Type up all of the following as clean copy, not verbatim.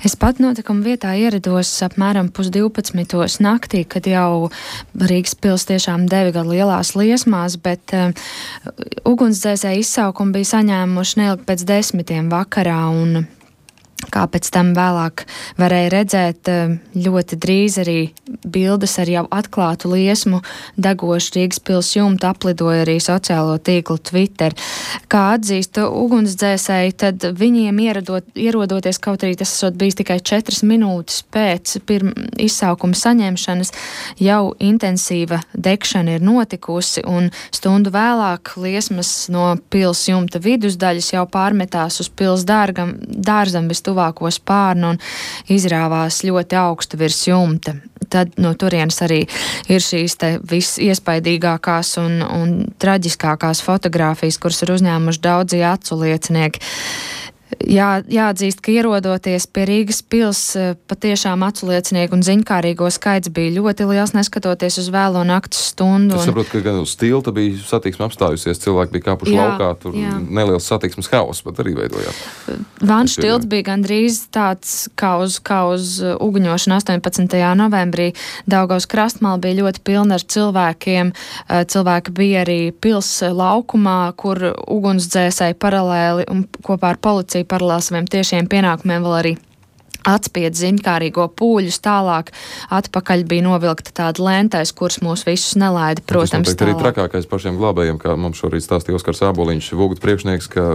Es pat notikuma vietā ierados apmēram 11:30 naktī, kad jau Rīgas pils tiešām dega lielās liesmās, bet ugunsdzēsēji izsaukumu bija saņēmuši neilgi pēc 10 vakarā, un kā pēc tam vēlāk varēja redzēt, ļoti drīz arī bildes ar jau atklātu liesmu degošu Rīgas pils jumtu aplidoja arī sociālo tīklu Twitter. Kā atzīst ugunsdzēsēji, tad viņiem ierodoties, kaut arī tas esot bijis tikai 4 minūtes pēc izsaukuma saņemšanas, jau intensīva degšana ir notikusi, un stundu vēlāk liesmas no pils jumta vidusdaļas jau pārmetās uz pils dārzam tuvāko spārnu un izrāvās ļoti augstu virs jumta. Tad no turienes arī ir šīs te visiespaidīgākās un traģiskākās fotogrāfijas, kuras ir uzņēmuši daudzi acu liecinieki. Jāatzīst, ka ierodoties pie Rīgas pils, patiešām acu liecinieku un ziņkārīgo skaits bija ļoti liels, neskatoties uz vēlo nakts stundu. Es saprotu, ka gan uz tilta bija satiksme apstājusies, cilvēki bija kāpuši laukā, tur neliels satiksmes haoss pat arī veidojās. Vanšu tilts bija gandrīz tāds kā uz uguņošanu 18. novembrī. Daugavas krastmala bija ļoti pilna ar cilvēkiem. Cilvēki bija arī pils laukumā, kur ugunsdzēsēji paralēli un kopā ar policiju paralēli saviem tiešiem pienākumiem vēl arī atspied ziņkārīgo pūļus tālāk. Atpakaļ bija novilkta tāda lentais, kuras mūs visus nelaida, protams, tālāk. Tas arī trakākais pašiem glābējiem, kā mums šorīt stāstīja Oskars Āboliņš, Vugdu priekšnieks, ka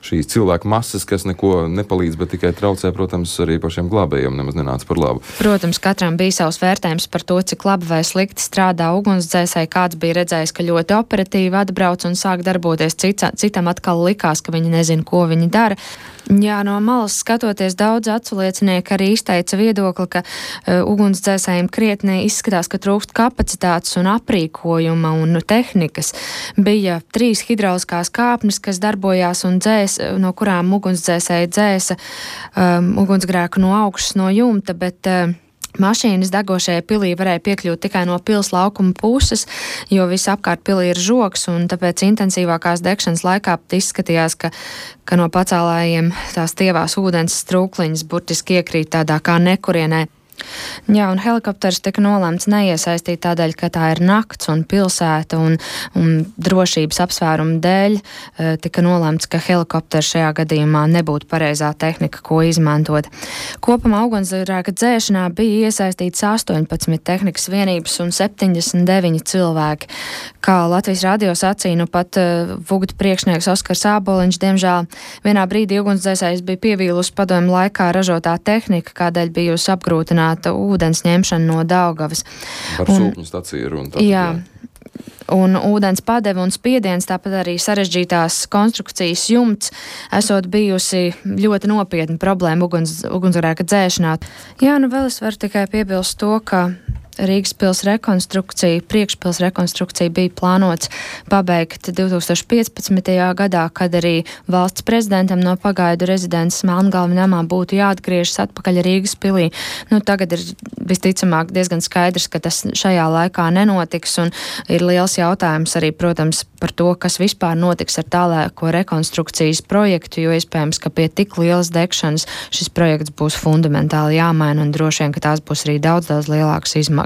šīs cilvēku masas, kas neko nepalīdz, bet tikai traucē, protams, arī pašiem glābējiem nemaz nenāca par labu. Protams, katram bija savs vērtējums par to, cik labi vai slikti strādā ugunsdzēsēji. Kāds bija redzējis, ka ļoti operatīvi atbrauc un sāk darboties, citam atkal likās, ka viņi nezina, ko viņi dara. Jā, no malas skatoties, daudz acu liecinieki arī izteica viedokli, ka ugunsdzēsējiem krietni izskatās, ka trūkst kapacitātes un aprīkojuma un tehnikas. Bija 3 hidrauliskās kāpnes, kas darbojās un no kurām ugunsdzēsēji dzēsa ugunsgrēku no augšas no jumta, bet mašīnas degošajai pilī varēja piekļūt tikai no pils laukuma puses, jo visapkārt pilī ir žogs, un tāpēc intensīvākās degšanas laikā izskatījās, ka no pacēlājiem tās tievās ūdens strūkliņas burtiski iekrīt tādā kā nekurienē. Jā, un helikopters tika nolēmts neiesaistīt tādēļ, ka tā ir nakts un pilsēta un drošības apsvērumu dēļ tika nolēmts, ka helikopters šajā gadījumā nebūtu pareizā tehnika, ko izmantot. Kopumā ugunsgrēka dzēšanā bija iesaistīts 18 tehnikas vienības un 79 cilvēki. Kā Latvijas radio sacīja, nu pat Vugdu priekšnieks Oskars Āboliņš, diemžēl vienā brīdī ugunsdzēsējs bija pievīlusi padomju laikā ražotā tehnika, kādēļ bijusi apgrūtināta ūdens ņemšana no Daugavas. Par sūkņu staciju runa. Jā. Un ūdens padeve un spiediens, tāpat arī sarežģītās konstrukcijas jumts, esot bijusi ļoti nopietna problēma ugunsgrēka dzēšanā. Jā, nu vēl es varu tikai piebilst to, ka Rīgas pils rekonstrukcija, priekšpils rekonstrukcija bija plānots pabeigt 2015. gadā, kad arī valsts prezidentam no pagaidu rezidences Melngalvi namā būtu jāatgriežas atpakaļ Rīgas pilī. Nu, tagad ir visticamāk diezgan skaidrs, ka tas šajā laikā nenotiks, un ir liels jautājums arī, protams, par to, kas vispār notiks ar tālāko rekonstrukcijas projektu, jo iespējams, ka pie tik lielas degšanas šis projekts būs fundamentāli jāmaina, un droši vien, ka tās būs arī daudz lielākas izmaksas.